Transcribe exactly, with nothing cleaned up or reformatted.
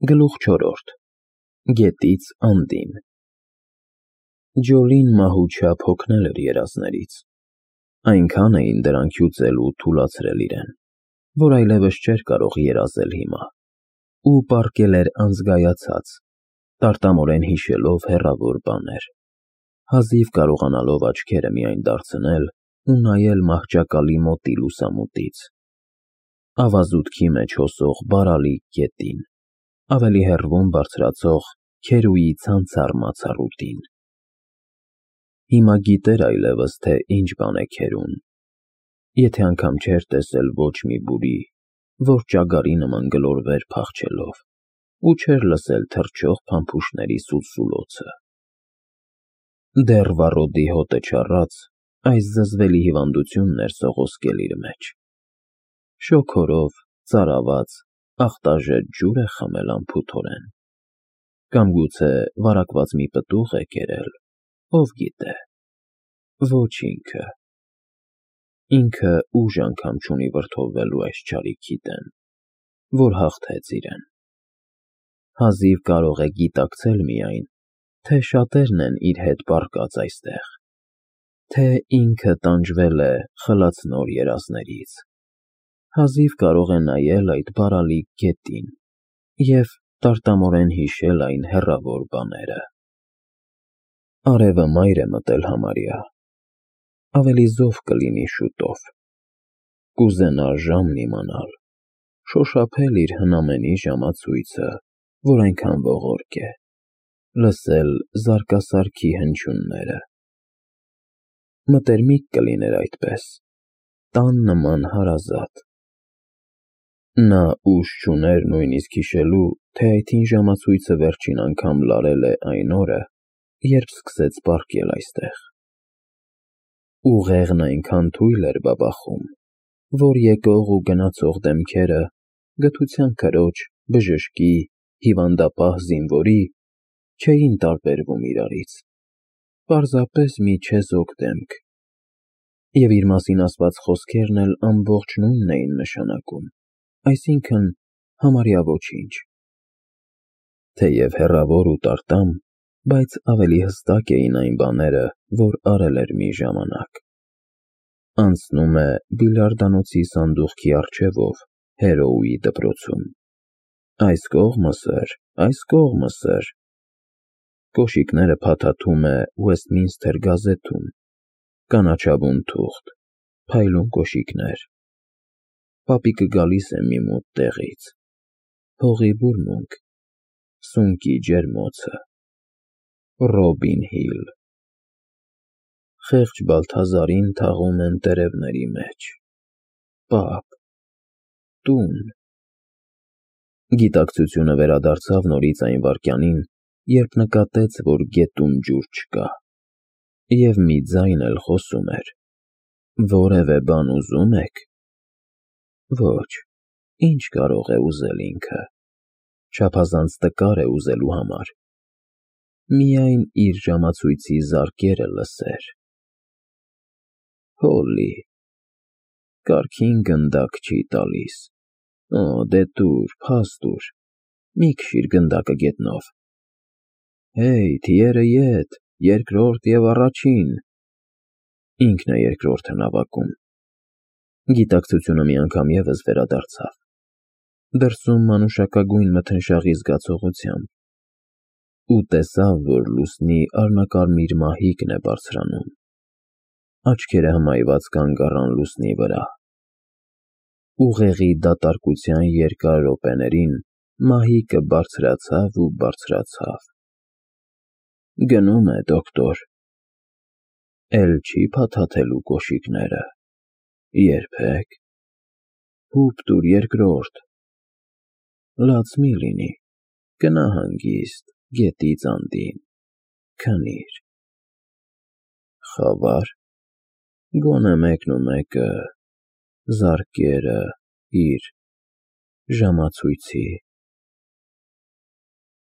Գլուխ չորրորդ Գետից անդին Ջոլին մահուչափ հոգնել էր երազներից, այնքան էին դրանք հյուծել ու թուլացրել իրեն, որ այլևս չէր կարող երազել հիմա, ու պառկել էր անզգայացած, տարտամորեն հիշելով հեռավոր բաներ, հազիվ կարողանալով աչքերը միայն դարձնել ու նայել մահճակալի մոտի լուսամուտից, ավազուտքի մեջ հոսող բարալիկ գետին, ավելի հեռվում բարձրացող Քերուի ցանցառ մացառուտին։ Հիմա գիտեր այլևս, թե ինչ բան է քերուն, եթե անգամ չէր տեսել ոչ մի բուրի, որ ճագարի նման գլորվեր փախչելով, ու չէր լսել թռչող փամփուշտների սուլսուլոցը։ Դեռ վառոդի հոտը չառած, այս զզվելի հիվանդությունն էր սողոսկել իր մեջ։ Շոգորով, ծարաված, ախտաժետ ջուր է խմել անփութորեն, կամ գուցե վարակված մի պտուղ է կերել, ով գիտե, ոչ ինքը։ Ինքը ուժ անգամ չունի վրդովվելու այս չարիքի դեմ, որ հաղթեց իրեն։ Հազիվ կարող է գիտակցել միայն, թե շատերն են իր հետ պառկած այստեղ, թե ինքը տանջվել է խլացնոր երազներից, հազիվ կարող է նայել այդ բարալիկ գետին և տարտամորեն հիշել այն հեռավոր բաները։ Արևը մայր է մտել համարյա, ավելի զով կլինի շուտով, կուզենա ժամն իմանալ, շոշափել իր հնամենի ժամացույցը, որ այնքան ողորկ է, լսել զարկասարքի հնչյունները։ Մտերմիկ կլիներ այդպես, տան նման հարազատ։ Նա ուժ չուներ նույնիսկ հիշելու, թե այդ հին ժամացույցը վերջին անգամ լարել է այն օրը, երբ սկսեց պառկել այստեղ։ Ուղեղն այնքան թույլ էր բաբախում, որ եկող ու գնացող դեմքերը գթության քրոջ, բժշկի, հիվանդապահ զինվորի չէին տարբերվում իրարից, պարզապես մի չեզոք դեմք, և իր մասին ասված խոսքերն էլ ամբողջ նույնն էին նշանակում, այսինքն՝ համարյա ոչինչ։ Թեև հեռավոր ու տարտամ, բայց ավելի հստակ էին այն բաները, որ արել էր մի ժամանակ։ Անցնում է բիլիարդանոցի սանդուղքի առջևով Հերոուի դպրոցում։ Այս կողմը սըր, այս կողմը սըր։ Կոշիկները փաթաթում է Ուեսթմինսթեր գազեթում, կանաչավուն թուղթ, փայլուն կոշիկներ։ Պապիկը գալիս է մի մութ տեղից, հողի բուրմունք, սունկի ջերմոցը, Ռոբին Հիլ։ Խեղճ Բալթազարին թաղում են տերևների մեջ, պապ, տուն։ Գիտակցությունը վերադարձավ նորից այն վայրկյանին, երբ նկատեց, որ գետում ջուր չկա, և մի ձայն էլ խոսում էր. «Որևէ բան ուզում ե՞ք»։ Ոչ, ի՞նչ կարող է ուզել ինքը, չափազանց տկար է ուզելու համար, միայն իր ժամացույցի զարկերը լսեր։ Հոլլի, կարգին գնդակ չի տալիս, օ, դե տուր, փաս տուր, մի քշիր գնդակը գետնով։ Հեյ, թիերը ետ, երկրորդ և առաջին։ Ինքն է երկրորդը նավակում։ Գիտակցությունը մի անգամ ևս վերադարձավ, դրսում մանուշակագույն մթնշաղի զգացողությամբ, ու տեսավ, որ լուսնի արմնակարմիր մահիկն է բարձրանում, աչքերը հմայված կանգ առան լուսնի վրա։ Ուղեղի դատարկության երկար րոպեներին մահիկը բարձրացավ ու բարձրացավ։ Գնում է, դոկտոր։ Էլ չի փաթաթելու կոշիկները։ Երբեք։ Հուպ տուր երկրորդ։ Լաց մի լինի, գնա հանգիստ, գետից անդին, քնիր։ Խավա՞ր։ Գոնե մեկն ու մեկը, զարկերը իր ժամացույցի։